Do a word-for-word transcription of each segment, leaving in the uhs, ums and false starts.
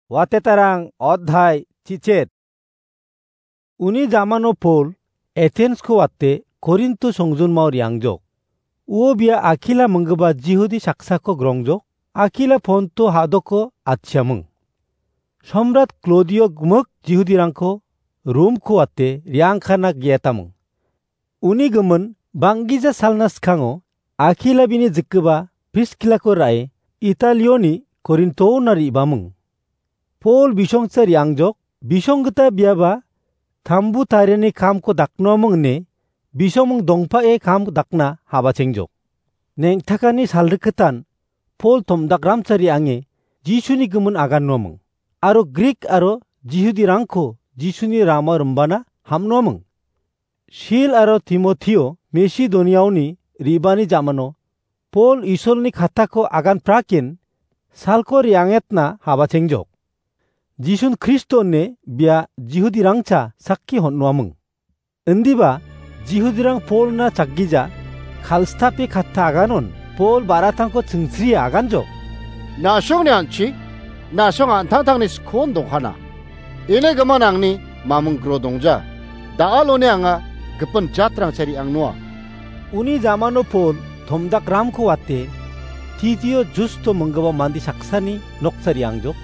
Watetarang odhai chichet. Uni jamano Pol Athens-ko wate Korinto songjinmao re·angjok. Uo bia Akila minggipa Jihudi saksako grongjok. Akila Ponto hadoko atchiaming. Somrat Klodio gimik Jihudirangko Rom-ko wate re·angkana ge·etaming. Uni gimin bang·gija salna skango Akila bini jikgipa Priskilako ra·e Italioni Korintona re·baming. Pol bisongsa re·angjok, bisong gita biaba tambu tariani kamko daknoaming ine bisongming dongpa·e kam dakna habachengjok. Neng·takani salrikgitan Pol tomdakramsa re·ange Jisuni gimin agannoaming, aro Grik aro Jihudirangko Jisuni rama rimbana ham·noaming. Sil aro Timotio Masedoniaoni re·bani jamano Pol Isolni kattako agan prakin salko re·angetna habachengjok. Jisun Kristo ine bia Jihudirangcha sakki hon·noaming. Indiba Jihudirang Polna chakgija kalstape katta aganon Pol ba·ratangko chingsrie aganjok. Na·songni an·chi, na·song an·tangtangni skon dongkana. Ine gimin angni maming gro dongja. Da·alone anga gipin jatrangcha re·angnoa. Uni jamano Pol tomdakramko wate Titio Justo minggipa mande saksani noksa re·angjok.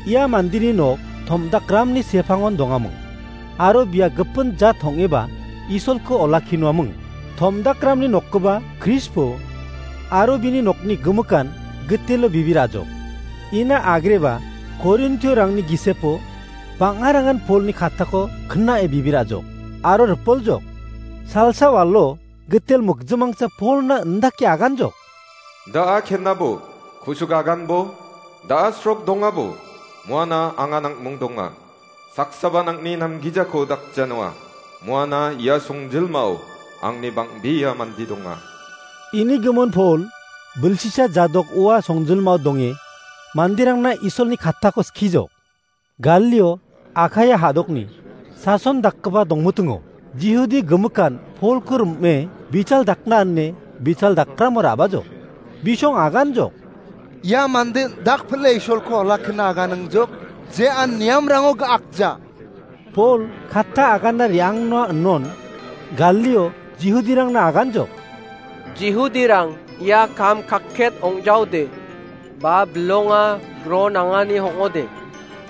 Ia mandeni nok tomdakramni sepangon dongaming. Aro bia gipin jat ong·eba Isolko olakkinoaming. Tomdakramni nokgipa Krispo aro bini nokni gimikan gitelo bibir ajok. Ina agreba Korintiorangni gisepo bang·arangan Polni kattako knae bibir ajok aro ripoljok. Salsa walo gitel mokjimangsa Polna indake aganjok. Da·a kenabo, kusuk aganbo, da·a srok dongabo, muana anga nangmung donga. Saksaba nangni namgijako dakjanoa, muana ia songjilmao angni bang·bea mande donga. Ini gimin Pol bilsisa jadok ua songjilmao donge manderangna Isolni kattako skijok. Galio Akaia hadokni sason dakgipa dongmitingo. Jihudi gimikan Polko rim·e bichal dakna ine bichal dakramo ra·bajok. Bisong aganjok. Ia mande dakpile Isolko olakkina aganingjok, je an niamrango ga·akja. Pol katta aganna re·angna inon Galio Jihudirangna aganjok. Jihudirang ia kam kakket ong·jaode, ba bilonga gro nangani ong·ode,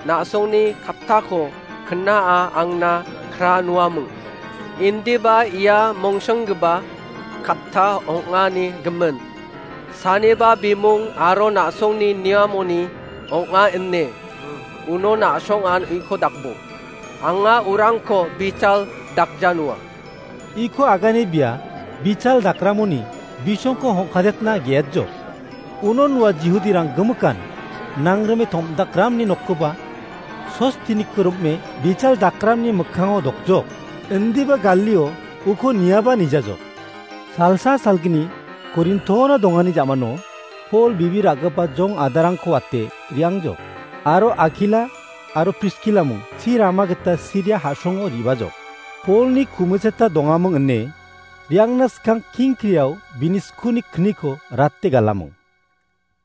na·songni kattako knaa angna kra nuaming. Indiba ia mongsonggipa katta ong·ani gimin. Saniba bimung aro na·songni niamoni ong·a ine uno na·songan uiko dakbo. Anga urangko bichal dakjanua. Iko agane bia bichal dakramoni bisongko hongkadetna ge·etjok. Unon ua Jihudirang gimikan nangrime tomdakramni nokkoba Sostiniko rim·e bichal dakramni mikkango dokjok. Indiba Galio uko niaba nijajok. Salsa salgni Korintona dongani jamano Pol bibir ra·gipa jong adarangko wate re·angjok. Aro Akila aro Priskilaming chi rama gita Siria ha·songo re·bajok. Polni kumicheta dongaming ine re·angna skang king kriao bini skuni kniko rate galaming.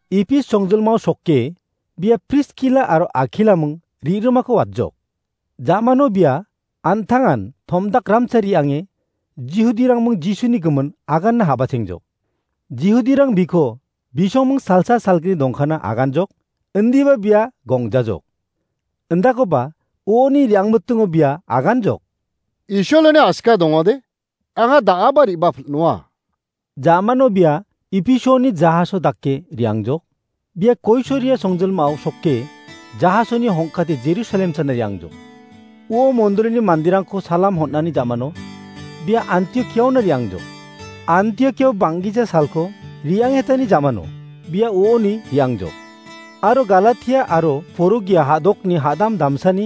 Ipis songjilmao sokke bia Priskila aro Akilaming ri·rimako watjok. Jamano bia an·tangan tomdakramsa re·ange Jihudirangming Jisuni gimin aganna habachengjok. Jihudirang biko bisongming salsa salgni dongkana aganjok, indiba bia gongjajok. Indakoba uoni re·angmitingo bia aganjok. Isoloni aska dongode, anga da·aba re·bapil·noa. Jamano bia Ipisioni jahaso dake re·angjok. Bia Koisoria songjilmao sokke jahasoni hongkate Jerusalem sana re·angjok. Uo mondolini manderangko salam hon·ani jamano bia Antiokiaona re·angjok. Antiokiao bang·gija salko re·angetani jamano bia uoni re·angjok. Aro Galatia aro Porogia ha·dokni ha·dam damsani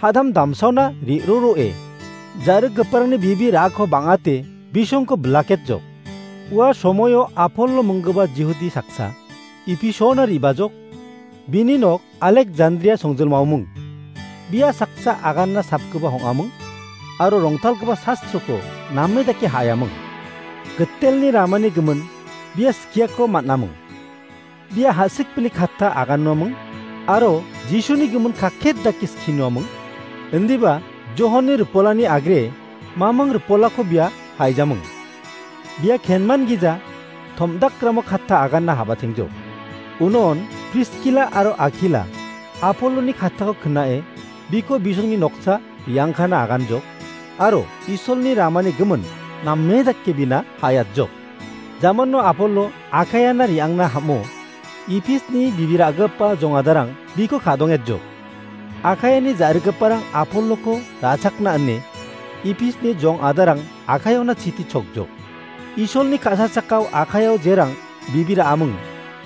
ha·dam damsaona re·roroe jarikgiparangni bibi ra·ako bang·ate bisongko bilaketjok. Ua somoio Apollo minggipa Jihudi saksa Ipisiona re·bajok, bini nok Alekjandria songjilmaoming. Bia saksa aganna sapgipa hong·aming aro rongtalgipa sastroko name dake ha·yaming. Gitelni ramani gimin bia skiako man·aming. Bia ha·sikbini katta agannoaming, aro Jisuni gimin kakket dake skinoaming. Indiba Johonni ripolani agre mamang ripolako bia haijaming. Bia kenman gija tom·dakramo katta aganna habatengjok. Unon Priskila aro Akila Apolloni kattako knae biko bisongni noksa riangkana aganjok, aro Isolni ramani gimin name dake bina hayatjok. Jamano Apollo Akaiana riangna ham·o, Ipisni bibi ra·gipa jongadarang biko ka·dongetjok. Akaiani ja·rigiparang Apolloko ra·chakna ine Ipisni jongadarang Akaiona chiti chokjok. Isolni ka·sa chakao Akaiao jerang bibi ra·aming,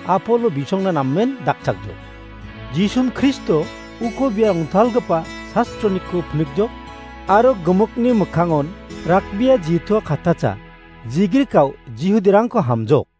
Apollo bisongna namen dakchakjok. Jisun Kristo uko bia rongtalgipa sastroniko pinikjok, aro gimikni mikkangon rakbia jitua kattacha, jigrikao Jihudirangko hamjok.